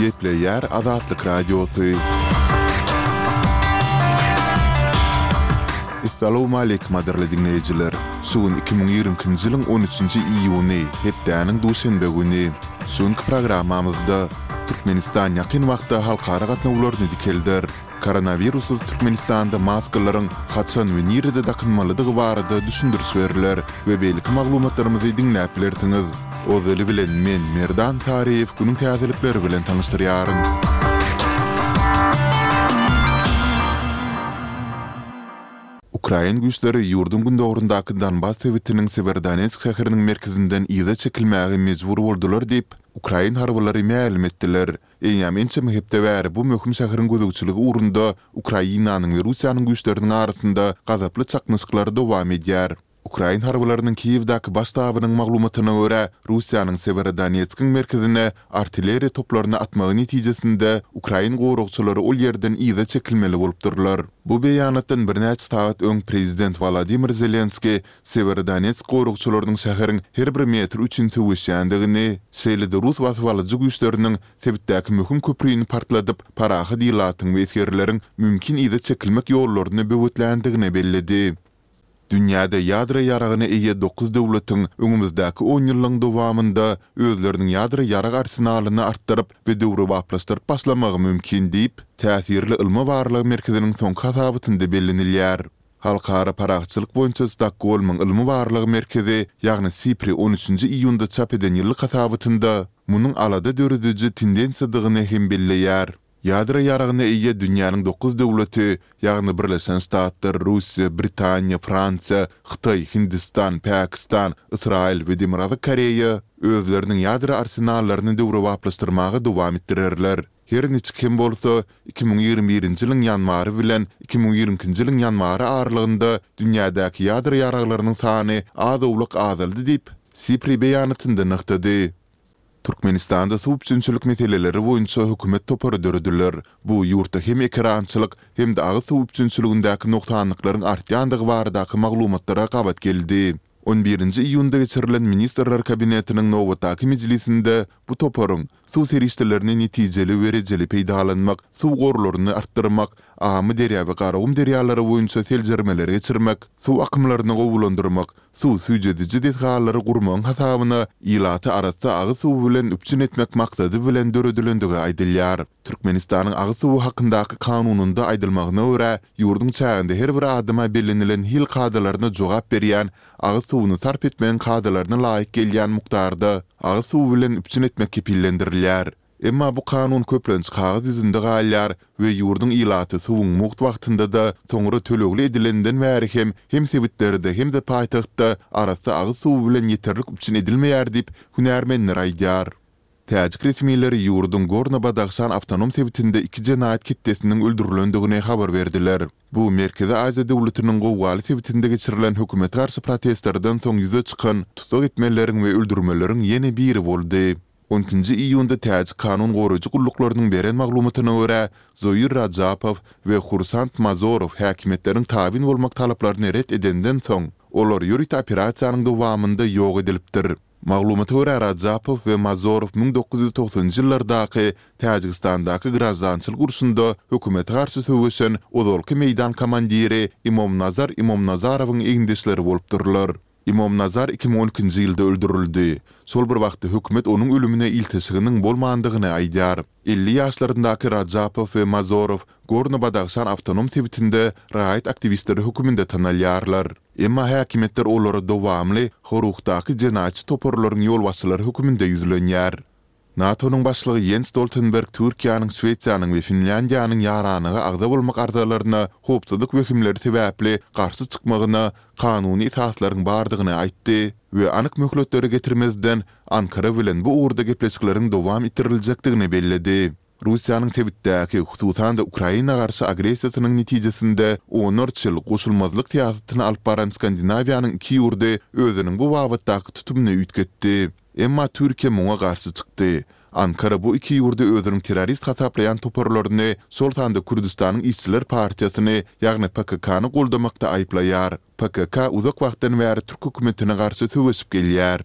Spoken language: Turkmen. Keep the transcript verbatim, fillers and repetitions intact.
Gepleýär Azatlyk Radiosy. Essalawmaleýkim gadyrly diňleýjiler! Şu gün iki müň ýigrimi ikinji ýylyň on üçünji iýuny, hepdäniň duşenbe güni. Şu günki programmamyzda Türkmenistan ýakyn wagtda halkara gatnawlaryny dikelder. Koronawirussyz Türkmenistanda maskalaryň haçan we nirede dakynmalydygy barada düşündiriş berler we beýleki maglumatlarymyzy diňläp bilersiňiz. Ozaly bilen men, Merdan Saryýew günüň täzelikleri bilen tanyşdyrýaryn. Ukrain güýçleri ýurduň gündogaryndaky Donbas sebitiniň Sewerodonetsk şäheriniň merkezinden yza çekilmäge mejbur boldular diýip, ukrain harbylary mälim etdiler. Eýýäm ençeme hepde bäri bu möhüm şäheriň gözegçiligi ugrunda Ukrainanyň we Russiýanyň güýçleriniň arasynda gazaply çaknyşyklar dowam edýär. Ukrain harbylarynyň Kiýewdäki baş ştabynyň maglumatyna görä, Russiýanyň Sewerodonetskiň merkezine artilleriýa toplaryny atmagy netijesinde ukrain goragçylary ol ýerden yza çekilmeli bolupdyrlar. Bu beýanatdan birnäçe sagat öň prezident Wolodymyr Zelenskiý Sewerodonetsk goragçylarynyň şäheriň her bir metri üçin söweşýändigini, şeýle-de rus basybalyjy güýçleriniň sebitdäki möhüm köprüni partladyp, parahat ilatyň we esgerleriň mümkin yza çekilmek ýollaryny böwetländigini belledi. Dünýäde ýadro ýaragyna eýe dokuz döwletiň öňümizdäki onýyllygyň dowamynda özleriniň ýadro ýarag arsenalyny artdyryp we döwrebaplaşdyryp başlamagy mümkin diýip, täsirli ylmy-barlag merkeziniň soňky hasabatynda bellenilýär. Halkara parahatçylyk boýunça Stokgolmyň ylmy-barlag merkezi, ýagny SIPRI on üçünji iýunda çap eden ýyllyk hasabatynda munuň alada dörediji tendensiýadygyny hem belleýär. Ýadro ýaragyna eýe dünýäniň dokuz döwleti, ýagny Birleşen Ştatlar, Russiýa, Britaniýa, Fransiýa, Hytaý, Hindistan, Pakistan, Ysraýyl we Demirgazyk Koreýa özleriniň ýadro arsenallaryny döwrebaplaşdyrmaga dowam etdirerler. Her niçik hem bolsa, iki müň ýigrimi birinji ýylyň ýanwary bilen iki müň ýigrimi ikinji ýylyň ýanwary aralygynda dünýädäki ýadro ýaraglarynyň sany az-owlak azaldy diýip, SIPRI beýanatynda nygtady. Türkmenistanda suw üpjünçilik meseleleri boýunça hökümet topary dörediler. Bu ýurtda hem ekerançylyk, hem-de agyz suw üpjünçiligindäki nogsanlyklaryň artýandygy baradaky maglumatlara gabat geldi. On birinji iýunda geçirilen Ministrler Kabinetiniň nobatdaky mejlisinde bu toparyň suw serişdelerini netijeli we rejeli peýdalanmak, suw gorlaryny artdyrmak, Amyderýa we Garagum derýalary boýunça seljermeleri geçirmek, suw akymlaryny gowulandyrmak, suw süýjediji desgalary gurmagyň hasabyna ilaty arassa agyz suwy bilen üpjün etmek maksady bilen döredilendigi aýdylýar. Türkmenistanyň Agyz suwy hakyndaky Kanunynda aýdylmagyna görä, ýurduň çäginde her bir adama bellenilen hil kadalaryna jogap berýän agyz suwuny sarp etmegiň kadalaryna laýyk gelýän mukdarda agyz suwy bilen üpjün etmek kepillendirilýär. Emma bu kanun köplenç kagyz ýüzünde galýar we ýurduň ilaty suwuň mugt wagtynda-da, soňra tölegli edilenden bäri hem hem sebitlerde, hem-de paýtagtda arassa agyz suwy bilen ýeterlik üpjün edilmeýär diýip, hünärmenler aýdýar. Täjik resmileri ýurduň Gorno-Badahşan awtonom sebitinde iki jenaýat ketdesiniň öldürilendigini habar berdiler. Bu Merkezi Aziýa döwletiniň gowgaly sebitinde geçirilen hökümete garşy protestlerden soň ýüze çykan tussag etmeleriň we öldürmeleriň ýene biri boldy. On ikinji iýunda täjik kanun goraýjy gulluklarynyň beren maglumatyna görä, Zoir Rajapow we Hursand Mazorow häkimiýetleriň tabyn bolmak talaplaryny ret edenden soň, olar ýörite operasiýanyň dowamynda ýok edilipdir. Maglumata görä, Rajapow we Mazorow müň dokuz ýüz togsanynjy ýyllardaky Täjigistandaky graždançylyk urşunda hökümete garşy söweşen ozalky meýdan komandiri Imomnazar Imomnazarowyň egindeşleri bolupdyrlar. Imomnazar iki müň on ikinji ýylda öldürildi. Şol bir wagtda hökümet onuň ölümine ilteşiginiň bolmandygyny aýdýar. Elli ýaşlaryndaky Rajapow we Mazorow Gorno-Badahşan awtonom sebitinde raýat aktiwistleri höküminde tanalýarlar. Emma häkimiýetler olara dowamly Horuhdaky jenaýatçy toparlaryň ýolbaşçylary höküminde ýüzlenýär. NATO-nyň başlygy Ýens Stoltenberg Türkiýäniň, Şwesiýanyň we Finlýandiýanyň ýaranlyga agza bolmak arzalaryna howpsuzlyk wehimleri sebäpli garşy çykmagyna kanuny esaslaryň bardygyny aýtdy we anyk möhletleri getirmezden, Ankara bilen bu ugurda gepleşikleriň dowam etdiriljekdigini belledi. Russiýanyň sebitdäki, hususan-da Ukraina garşy agressiýasynyň netijesinde onlarça ýyl goşulmazlyk syýasatyny alyp baran Skandinawiýanyň iki ýurdy özüniň bu babatdaky tutumyny üýtgetdi. Emma Türkiýe muňa garşy çykdy. Ankara bu iki ýurdy özüniň terrorist hasaplaýan toparlaryny, şol sanda Kürdüstanyň işçiler partiýasyny, ýagny PKK-ny goldamakda aýyplaýar. PKK uzak wagtdan bäri türk hökümetine garşy söweşip gelýär.